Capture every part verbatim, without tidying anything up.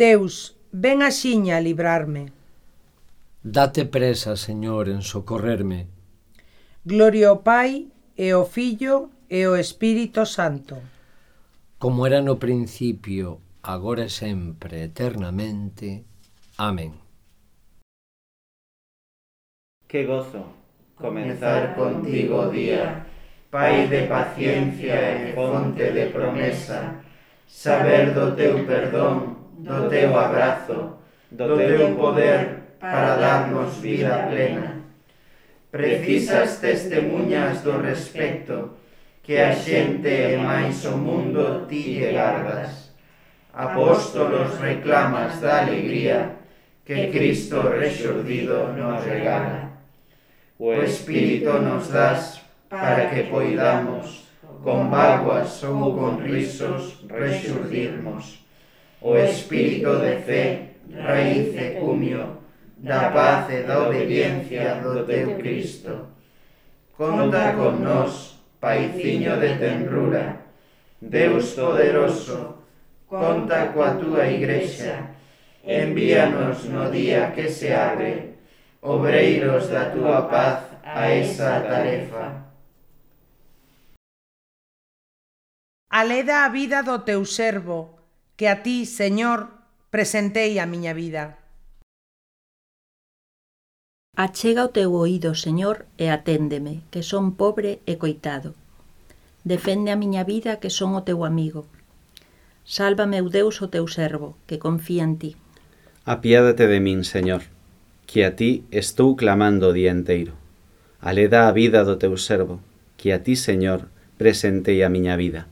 Deus, ven axiña a librarme. Date presa, Señor, en socorrerme. Gloria ao Pai, e ao Fillo, e ao Espírito Santo. Como era no principio, agora e sempre, eternamente. Amén. Que gozo comenzar contigo o día, Pai de paciencia e fonte de promesa, saber do teu perdón, do teu abrazo, do teu poder para darnos vida plena. Precisas testemunhas do respecto que a xente e máis o mundo ti lle gardas. Apóstolos reclamas da alegría que Cristo rexurdido nos regala. O Espírito nos das para que poidamos, con vaguas ou con risos, rexurdirmos. O Espírito de fe, raíz e cumio, da paz e da obediencia do teu Cristo. Conta con nós, Paiciño de tenrura, Deus poderoso, conta coa túa Igrexa, envíanos no día que se abre, obreiros da túa paz a esa tarefa. Aleda a vida do teu servo, que a ti, Señor, presentei a miña vida. Achega o teu oído, Señor, e aténdeme, que son pobre e coitado. Defende a miña vida, que son o teu amigo. Salva, meu Deus, o teu servo, que confía en ti. Apiádate de min, Señor, que a ti estou clamando o día enteiro. Aleda a vida do teu servo, que a ti, Señor, presentei a miña vida.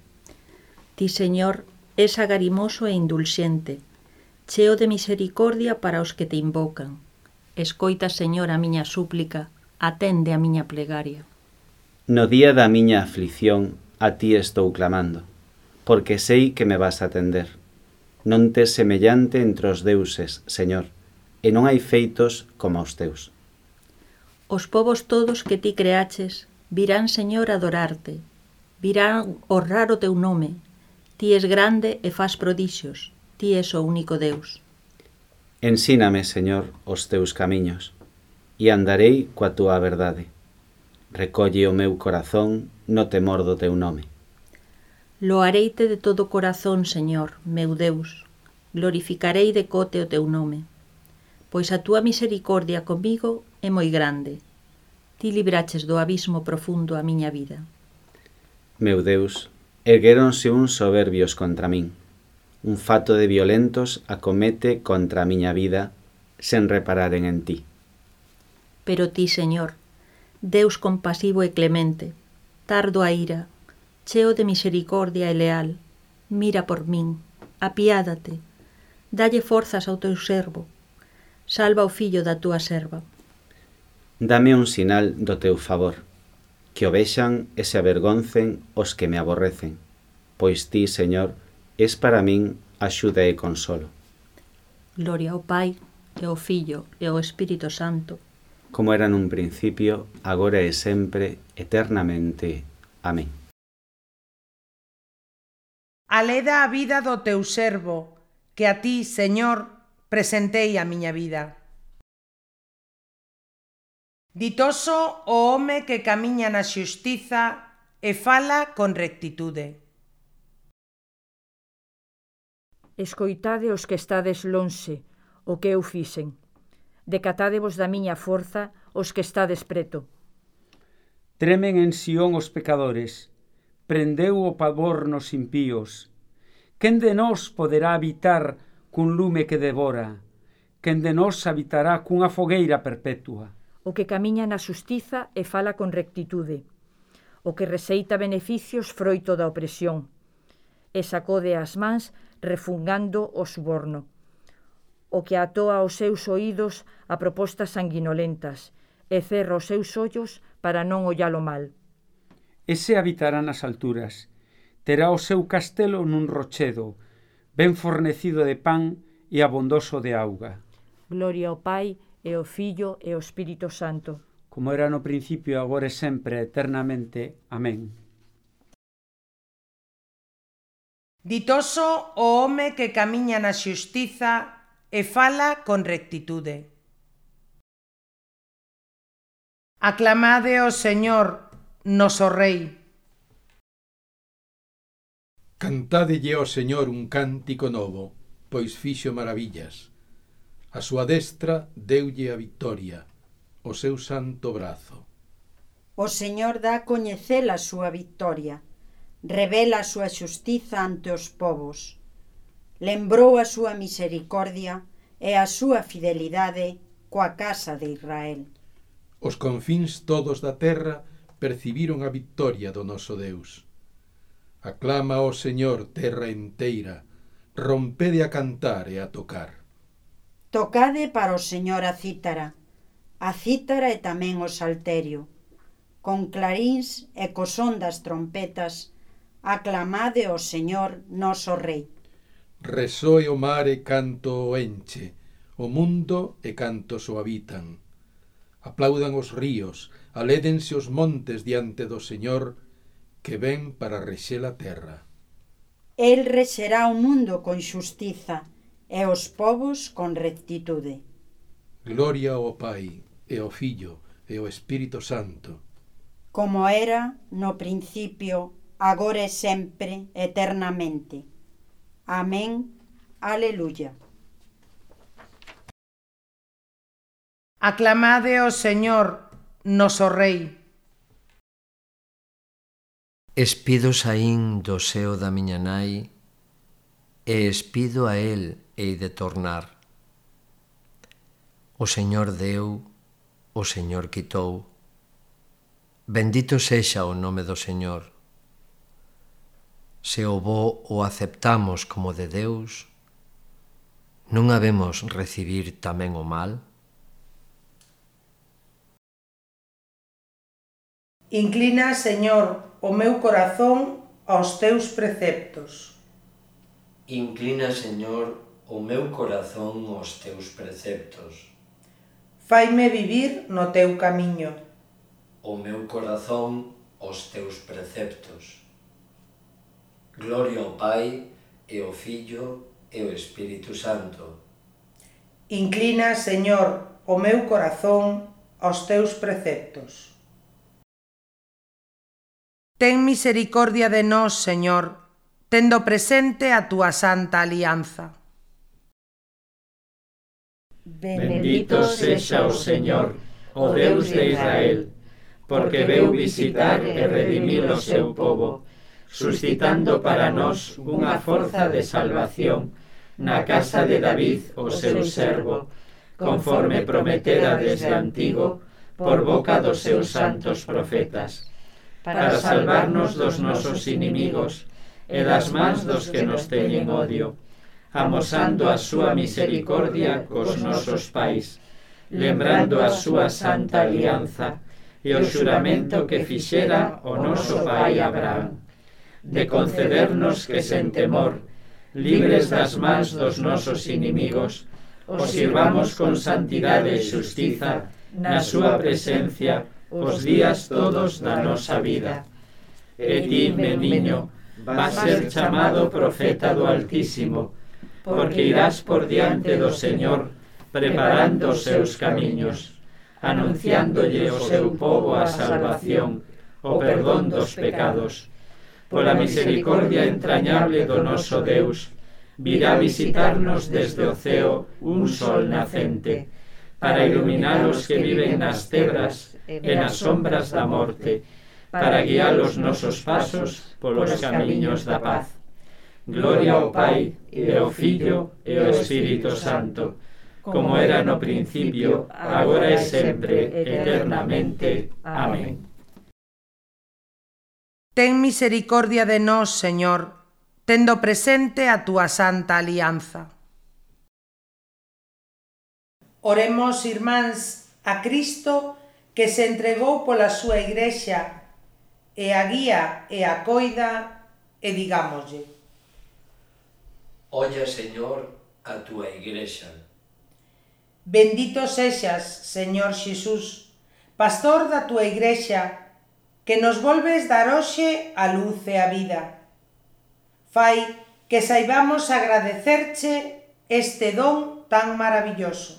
Ti, Señor, és agarimoso e indulxente, cheo de misericordia para os que te invocan. Escoita, Señor, a miña súplica, atende a miña plegaria. No día da miña aflición a ti estou clamando, porque sei que me vas a atender. Non tes semellante entre os deuses, Señor, e non hai feitos como os teus. Os povos todos que ti creaches virán, Señor, a adorarte, virán honrar o teu nome. Ti és grande e fas prodixios, ti és o único Deus. Ensíname, Señor, os teus camiños, e andarei coa túa verdade. Recolle o meu corazón no temor do teu nome. Loareite de todo corazón, Señor, meu Deus, glorificarei de cote o teu nome, pois a túa misericordia comigo é moi grande. Ti libraches do abismo profundo a miña vida. Meu Deus, erguéronse uns soberbios contra min. Un fato de violentos acomete contra a miña vida, sen repararen en ti. Pero ti, Señor, Deus compasivo e clemente, tardo a ira, cheo de misericordia e leal, mira por min, apiádate, dalle forzas ao teu servo, salva o fillo da túa serva. Dame un sinal do teu favor, que o vexan e se avergoncen os que me aborrecen, pois ti, Señor, es para min axuda e consolo. Gloria ao Pai, e ao Fillo, e ao Espírito Santo, como era nun principio, agora e sempre, eternamente. Amén. Aleda a vida do teu servo, que a ti, Señor, presentei a miña vida. Ditoso o home que camiña na xustiza e fala con rectitude. Escoitade os que estades lonxe, o que eu fixen. Decatádevos da miña forza os que estades preto. Tremen en Sión os pecadores, prendeu o pavor nos impíos. Quen de nós poderá habitar cun lume que devora? Quen de nós habitará cunha fogueira perpetua? O que camiña na xustiza e fala con rectitude. O que receita beneficios froito da opresión. E sacode as mans refungando o suborno. O que atoa os seus oídos a propostas sanguinolentas e cerra os seus ollos para non ollalo mal. Ese habitará nas alturas, terá o seu castelo nun rochedo, ben fornecido de pan e abondoso de auga. Gloria ao Pai, e ao Fillo, e ao Espírito Santo. Como era no principio, agora e sempre, eternamente. Amén. Ditoso o home que camiña na xustiza e fala con rectitude. Aclamade ao Señor, noso Rei. Cantádelle ao Señor un cántico novo, pois fixo maravillas. A súa destra deulle a victoria, o seu santo brazo. O Señor dá a coñecer a súa victoria, revela a súa xustiza ante os povos. Lembrou a súa misericordia e a súa fidelidade coa casa de Israel. Os confíns todos da terra percibiron a victoria do noso Deus. Aclama ao Señor terra enteira, rompede a cantar e a tocar. Tocade para o Señor a cítara, a cítara e tamén o salterio. Con clarins e co son das trompetas, aclamade ao Señor noso Rei. Resoe o mar e canto o enche, o mundo e cantos o habitan. Aplaudan os ríos, alédense os montes diante do Señor, que ven para rexer a terra. El rexerá o mundo con xustiza e os povos con rectitude. Gloria ao Pai, e ao Fillo, e ao Espírito Santo. Como era no principio, agora e sempre, eternamente. Amén. Aleluya. Aclamade ao Señor, noso Rei. Espido saín do seo da miña nai, e espido a el hei de tornar. O Señor deu, o Señor quitou. Bendito sexa o nome do Señor. Se o bo o aceptamos como de Deus, non habemos recibir tamén o mal? Inclina, Señor, o meu corazón aos teus preceptos. Inclina, Señor, o meu corazón aos teus preceptos. Faime vivir no teu camiño. O meu corazón aos teus preceptos. Gloria ao Pai, e ao Fillo, e ao Espírito Santo. Inclina, Señor, o meu corazón aos teus preceptos. Ten misericordia de nós, Señor, tendo presente a túa santa alianza. Bendito sexa o Señor, o Deus de Israel, porque veu visitar e redimir o seu povo, suscitando para nós unha forza de salvación na casa de David, o seu servo, conforme prometera desde antigo por boca dos seus santos profetas, para salvarnos dos nosos inimigos e das mans dos que nos teñen odio, amosando a súa misericordia cos nosos pais, lembrando a súa santa alianza e o xuramento que fixera o noso pai Abraham, de concedernos que sen temor, libres das mans dos nosos inimigos, os sirvamos con santidade e xustiza na súa presencia os días todos da nosa vida. E ti, meniño, vas ser chamado profeta do Altísimo, porque irás por diante do Señor, preparando os seus camiños, anunciándolle o seu povo a salvación, o perdón dos pecados. Pola misericordia entrañable do noso Deus, virá visitarnos desde o ceo un sol nacente, para iluminar os que viven nas tebras e nas sombras da morte, para guiar os nosos pasos polos camiños da paz. Gloria ao Pai, e ao Fillo, e ao Espírito Santo, como era no principio, agora e sempre, eternamente. Amén. Ten misericordia de nós, Señor, tendo presente a túa santa alianza. Oremos, irmáns, a Cristo que se entregou pola súa Igrexa e a guía e a coida, e digámoslle: Olla, Señor, a túa Igrexa. Bendito sexas, Señor Xesús, pastor da túa Igrexa, que nos volves dar hoxe a luz e a vida. Fai que saibamos agradecerche este don tan maravilloso.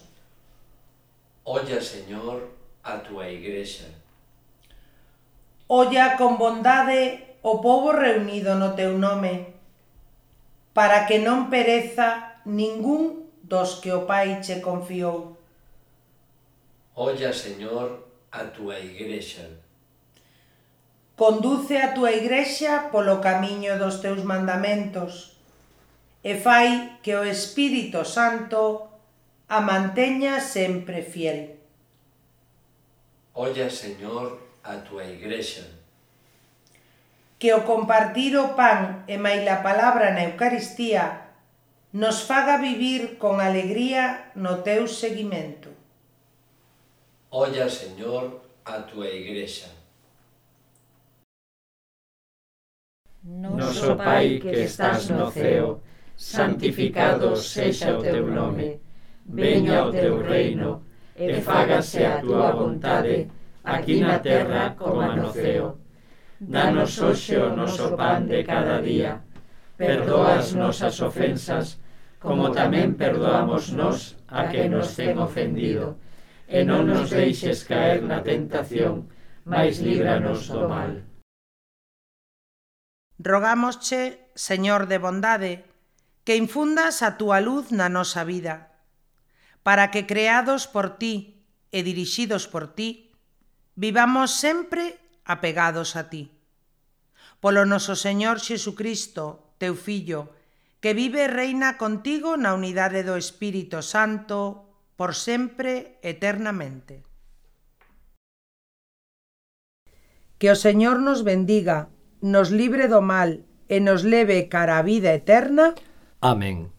Olla, Señor, a túa Igrexa. Olla con bondade o pobo reunido no teu nome, para que non pereza ningún dos que o Pai che confiou. Olla, Señor, a túa Igrexa. Conduce a túa Igrexa polo camiño dos teus mandamentos e fai que o Espírito Santo a manteña sempre fiel. Olla, Señor, a túa Igrexa. Que o compartir o pan e maila palabra na Eucaristía nos faga vivir con alegría no teu seguimento. Olla, Señor, a túa Igrexa. Noso Pai que estás no ceo, santificado sexa o teu nome. Veña o teu reino, e fágase a túa vontade, aquí na terra como no ceo. Danos hoxe o noso pan de cada día. Perdoa as nosas ofensas, como tamén perdoamos nós a que nos ten ofendido. E non nos deixes caer na tentación, mais líbranos do mal. Rogámosche, Señor de bondade, que infundas a túa luz na nosa vida, para que, creados por ti e dirixidos por ti, vivamos sempre apegados a ti. Polo noso Señor Xesucristo, teu Fillo, que vive e reina contigo na unidade do Espírito Santo, por sempre, eternamente. Que o Señor nos bendiga, nos libre do mal e nos leve cara a vida eterna. Amén.